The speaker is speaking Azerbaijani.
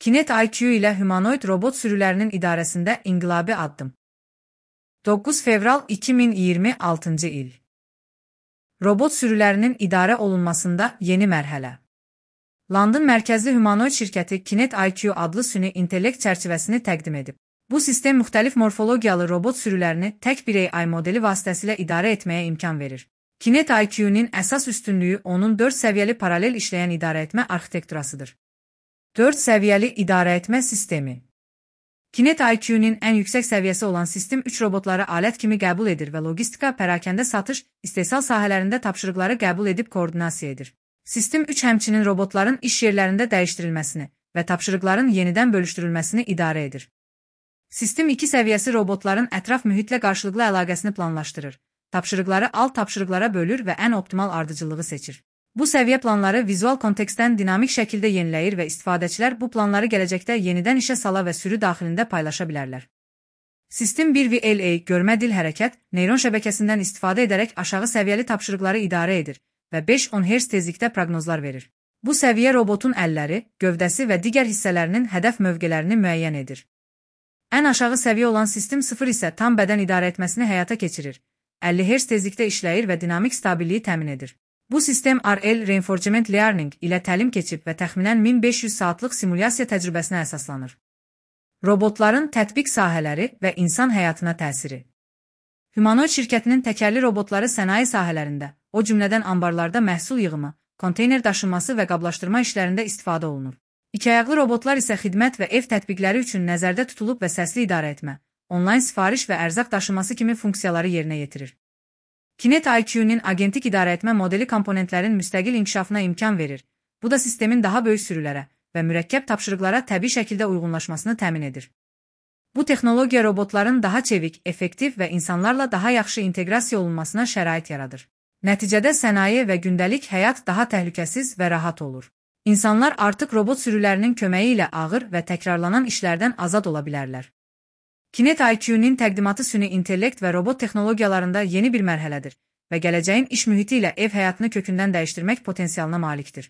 Kinet IQ ilə humanoid robot sürülərinin idarəsində inqilabi addım. 9 fevral 2026 il. Robot sürülərinin idarə olunmasında yeni mərhələ. London mərkəzli humanoid şirkəti Kinet IQ adlı süni intellekt çərçivəsini təqdim edib. Bu sistem müxtəlif morfologiyalı robot sürülərini tək bir AI modeli vasitəsilə idarə etməyə imkan verir. Kinet IQ-nin əsas üstünlüyü onun 4 səviyyəli paralel işləyən idarəetmə arxitekturasıdır. 4 səviyyəli idarəetmə sistemi. Kinet IQ-nin ən yüksək səviyyəsi olan sistem 3 robotları alət kimi qəbul edir və logistika, pərakəndə satış, istehsal sahələrində tapşırıqları qəbul edib koordinasiya edir. Sistem 3 həmçinin robotların iş yerlərində dəyişdirilməsini və tapşırıqların yenidən bölüşdürülməsini idarə edir. Sistem 2 səviyyəsi robotların ətraf mühitlə qarşılıqlı əlaqəsini planlaşdırır, tapşırıqları alt tapşırıqlara bölür və ən optimal ardıcıllığı seçir. Bu səviyyə planları vizual kontekstdən dinamik şəkildə yeniləyir və istifadəçilər bu planları gələcəkdə yenidən işə sala və sürü daxilində paylaşa bilərlər. Sistem 1VLA görmə dil hərəkət, neyron şəbəkəsindən istifadə edərək aşağı səviyyəli tapşırıqları idarə edir və 5-10 Hz tezlikdə proqnozlar verir. Bu səviyyə robotun əlləri, gövdəsi və digər hissələrinin hədəf mövqelərini müəyyən edir. Ən aşağı səviyyə olan sistem 0 isə tam bədən idarə etməsini həyata keçirir, 50 Hz tezlikdə işləyir və dinamik stabilliyi təmin edir. Bu sistem RL Reinforcement Learning ilə təlim keçib və təxminən 1500 saatlıq simulyasiya təcrübəsinə əsaslanır. Robotların tətbiq sahələri və insan həyatına təsiri. Humanoid şirkətinin təkərli robotları sənaye sahələrində, o cümlədən anbarlarda məhsul yığımı, konteyner daşınması və qablaşdırma işlərində istifadə olunur. İkiayaqlı robotlar isə xidmət və ev tətbiqləri üçün nəzərdə tutulub və səsli idarə etmə, onlayn sifariş və ərzaq daşıması kimi funksiyaları yerinə yetirir. Kinet IQ-nin agentik idarəetmə modeli komponentlərin müstəqil inkişafına imkan verir. Bu da sistemin daha böyük sürülərə və mürəkkəb tapşırıqlara təbii şəkildə uyğunlaşmasını təmin edir. Bu texnologiya robotların daha çevik, effektiv və insanlarla daha yaxşı inteqrasiya olunmasına şərait yaradır. Nəticədə sənaye və gündəlik həyat daha təhlükəsiz və rahat olur. İnsanlar artıq robot sürülərinin köməyi ilə ağır və təkrarlanan işlərdən azad ola bilərlər. Kinet IQ-nin təqdimatı süni intellekt və robot texnologiyalarında yeni bir mərhələdir və gələcəyin iş mühiti ilə ev həyatını kökündən dəyişdirmək potensialına malikdir.